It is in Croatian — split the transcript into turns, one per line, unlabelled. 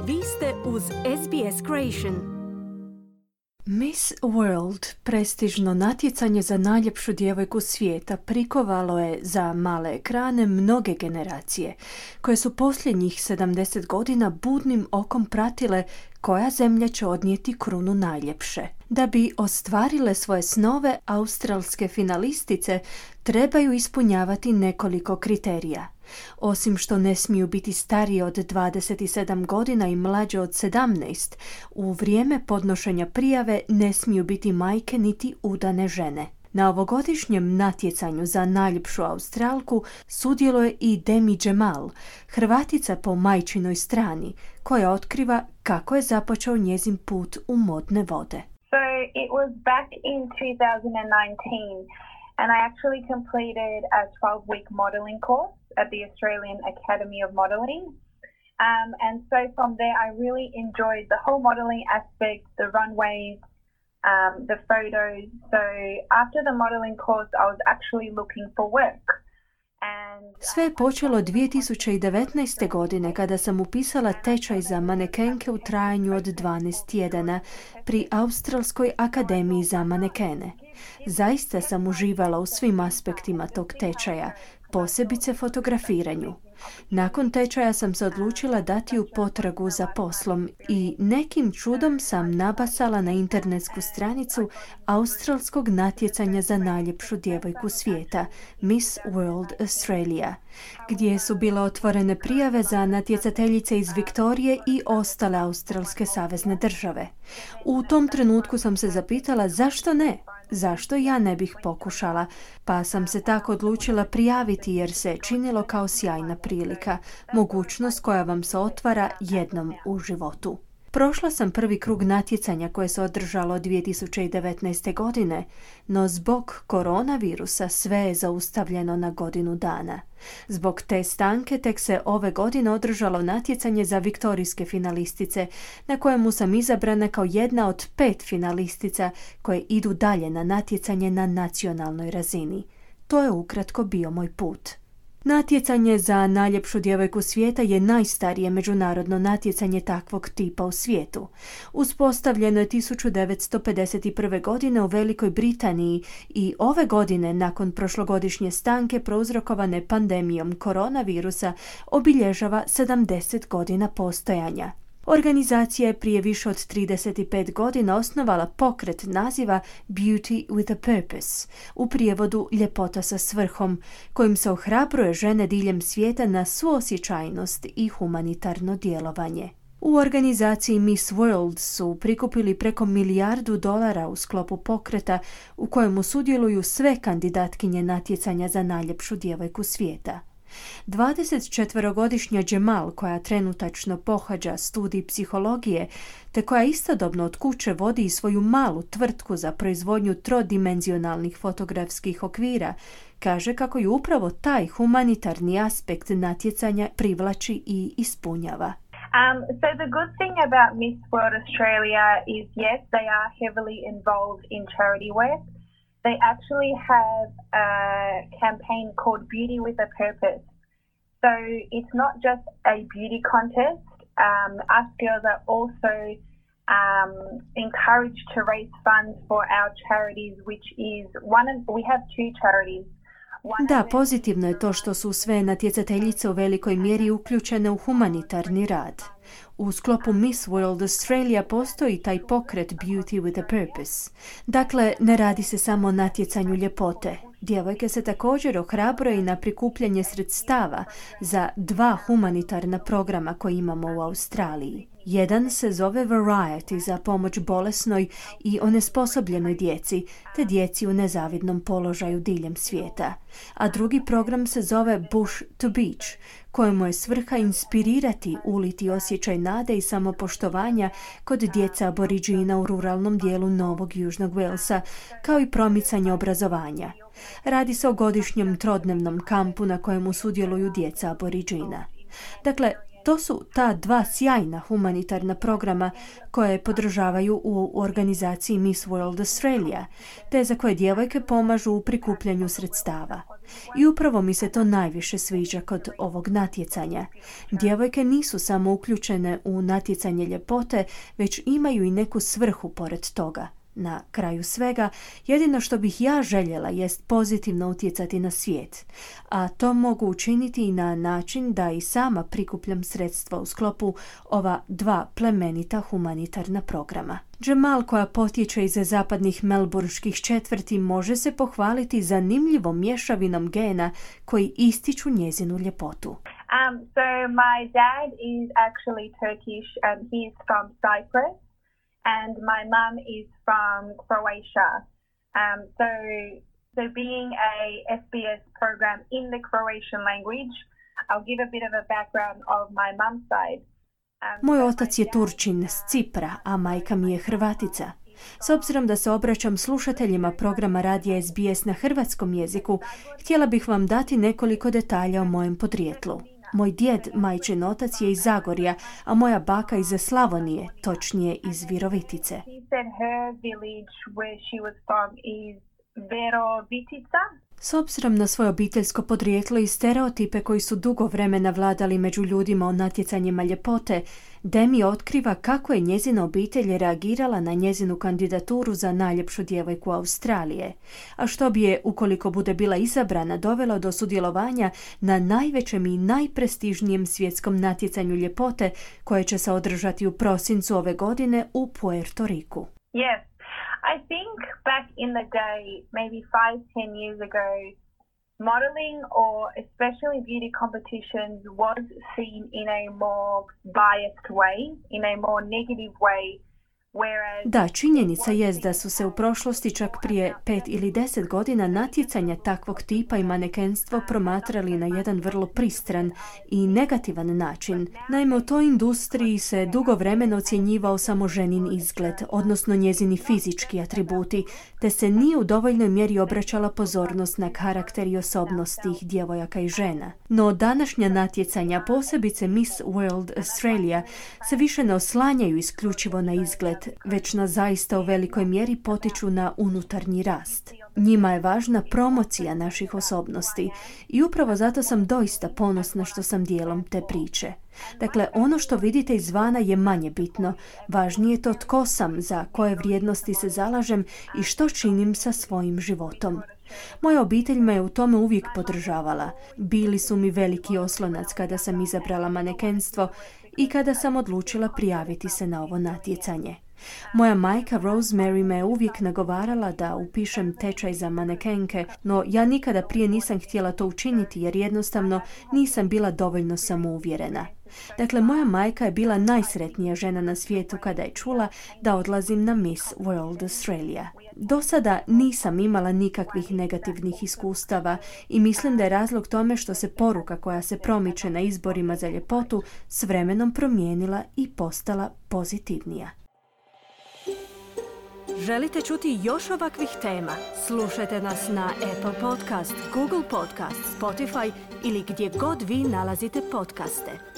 Vi ste uz SBS Creation.
Miss World, prestižno natjecanje za najljepšu djevojku svijeta, prikovalo je za male ekrane mnoge generacije, koje su posljednjih 70 godina budnim okom pratile koja zemlja će odnijeti krunu najljepše. Da bi ostvarile svoje snove, australske finalistice trebaju ispunjavati nekoliko kriterija. Osim što ne smiju biti starije od 27 godina i mlađe od 17, u vrijeme podnošenja prijave ne smiju biti majke niti udane žene. Na ovogodišnjem natjecanju za najljepšu Australku sudjeluje i Demi Jamal, Hrvatica po majčinoj strani, koja otkriva kako je započeo njezin put u modne vode.
So it was back in 2019 and I actually completed a 12-week modelling course at the Australian Academy of Modelling. And so from there I really enjoyed the whole modelling aspect, the runways, the photos. So after the modelling course I was actually looking for work.
Sve je počelo 2019. godine kada sam upisala tečaj za manekenke u trajanju od 12 tjedana pri Australskoj akademiji za manekene. Zaista sam uživala u svim aspektima tog tečaja, posebice fotografiranju. Nakon tečaja sam se odlučila dati u potragu za poslom i nekim čudom sam nabasala na internetsku stranicu australskog natjecanja za najljepšu djevojku svijeta, Miss World Australia, gdje su bile otvorene prijave za natjecateljice iz Viktorije i ostale australske savezne države. U tom trenutku sam se zapitala zašto ne? Zašto ja ne bih pokušala? Pa sam se tako odlučila prijaviti jer se činilo kao sjajna prilika, mogućnost koja vam se otvara jednom u životu. Prošla sam prvi krug natjecanja koje se održalo 2019. godine, no zbog koronavirusa sve je zaustavljeno na godinu dana. Zbog te stanke tek se ove godine održalo natjecanje za viktorijske finalistice, na kojemu sam izabrana kao jedna od 5 finalistica koje idu dalje na natjecanje na nacionalnoj razini. To je ukratko bio moj put. Natjecanje za najljepšu djevojku svijeta je najstarije međunarodno natjecanje takvog tipa u svijetu. Uspostavljeno je 1951. godine u Velikoj Britaniji i ove godine, nakon prošlogodišnje stanke prouzrokovane pandemijom koronavirusa, obilježava 70 godina postojanja. Organizacija je prije više od 35 godina osnovala pokret naziva Beauty with a Purpose, u prijevodu ljepota sa svrhom, kojim se ohrabruje žene diljem svijeta na suosjećajnost i humanitarno djelovanje. U organizaciji Miss World su prikupili preko $1 milijardu u sklopu pokreta u kojemu sudjeluju sve kandidatkinje natjecanja za najljepšu djevojku svijeta. 24-godišnja Jamal, koja trenutačno pohađa studij psihologije, te koja istodobno od kuće vodi i svoju malu tvrtku za proizvodnju trodimenzionalnih fotografskih okvira, kaže kako ju upravo taj humanitarni aspekt natjecanja privlači i ispunjava.
So the good thing about Miss World Australia is yes, they are heavily involved in charity work. They actually have a campaign called Beauty with a Purpose. So it's not just a beauty contest. Us girls are also encouraged to raise funds for our charities, which is we have 2 charities.
Da, pozitivno je to što su sve natjecateljice u velikoj mjeri uključene u humanitarni rad. U sklopu Miss World Australia postoji taj pokret Beauty with a Purpose. Dakle, ne radi se samo o natjecanju ljepote. Djevojke se također ohrabruje i na prikupljanje sredstava za 2 humanitarna programa koje imamo u Australiji. Jedan se zove Variety za pomoć bolesnoj i onesposobljenoj djeci, te djeci u nezavidnom položaju diljem svijeta. A drugi program se zove Bush to Beach, kojemu je svrha inspirirati, uliti osjećaj nade i samopoštovanja kod djeca aboriđina u ruralnom dijelu Novog Južnog Walesa, kao i promicanje obrazovanja. Radi se o godišnjem trodnevnom kampu na kojemu sudjeluju djeca aboriđina. Dakle, To su ta dva sjajna humanitarna programa koje podržavaju u organizaciji Miss World Australia, te za koje djevojke pomažu u prikupljanju sredstava. I upravo mi se to najviše sviđa kod ovog natjecanja. Djevojke nisu samo uključene u natjecanje ljepote, već imaju i neku svrhu pored toga. Na kraju svega, jedino što bih ja željela jest pozitivno utjecati na svijet, a to mogu učiniti i na način da i sama prikupljam sredstva u sklopu ova dva plemenita humanitarna programa. Jamal, koja potječe iz zapadnih melbourneških četvrti, može se pohvaliti zanimljivom mješavinom gena koji ističu njezinu ljepotu.
So my dad is actually Turkish and he is from Cyprus. And my mum is from Croatia. So being a SBS program in the Croatian language, I'll give a bit of a background of my mum's side.
Moj otac je Turčin s Cipra, a majka mi je Hrvatica. S obzirom da se obraćam slušateljima programa radija SBS na hrvatskom jeziku, htjela bih vam dati nekoliko detalja o mojem podrijetlu. Moj djed, majčin otac, je iz Zagorja, a moja baka iz Slavonije, točnije iz Virovitice. S obzirom na svoje obiteljsko podrijetlo i stereotipe koji su dugo vremena vladali među ljudima o natjecanjima ljepote, Demi otkriva kako je njezina obitelj reagirala na njezinu kandidaturu za najljepšu djevojku Australije, a što bi je, ukoliko bude bila izabrana, dovelo do sudjelovanja na najvećem i najprestižnijem svjetskom natjecanju ljepote koje će se održati u prosincu ove godine u Puerto Riku.
Yes. I think back in the day, maybe 5-10 years ago, modeling or especially beauty competitions was seen in a more biased way, in a more negative way.
Da, činjenica jest da su se u prošlosti, čak prije 5 ili 10 godina, natjecanja takvog tipa i manekenstvo promatrali na jedan vrlo pristran i negativan način. Naime, u toj industriji se dugo vremena ocjenjivao samo ženin izgled, odnosno njezini fizički atributi, te se nije u dovoljnoj mjeri obraćala pozornost na karakter i osobnost tih djevojaka i žena. No današnja natjecanja, posebice Miss World Australia, se više ne oslanjaju isključivo na izgled, već nas zaista u velikoj mjeri potiču na unutarnji rast. Njima je važna promocija naših osobnosti i upravo zato sam doista ponosna što sam dijelom te priče. Dakle, ono što vidite izvana je manje bitno. Važnije je to tko sam, za koje vrijednosti se zalažem i što činim sa svojim životom. Moja obitelj me je u tome uvijek podržavala. Bili su mi veliki oslonac kada sam izabrala manekenstvo i kada sam odlučila prijaviti se na ovo natjecanje. Moja majka Rosemary me je uvijek nagovarala da upišem tečaj za manekenke, no ja nikada prije nisam htjela to učiniti jer jednostavno nisam bila dovoljno samouvjerena. Dakle, moja majka je bila najsretnija žena na svijetu kada je čula da odlazim na Miss World Australia. Do sada nisam imala nikakvih negativnih iskustava i mislim da je razlog tome što se poruka koja se promiče na izborima za ljepotu s vremenom promijenila i postala pozitivnija.
Želite čuti još ovakvih tema? Slušajte nas na Apple Podcast, Google Podcast, Spotify ili gdje god vi nalazite podcaste.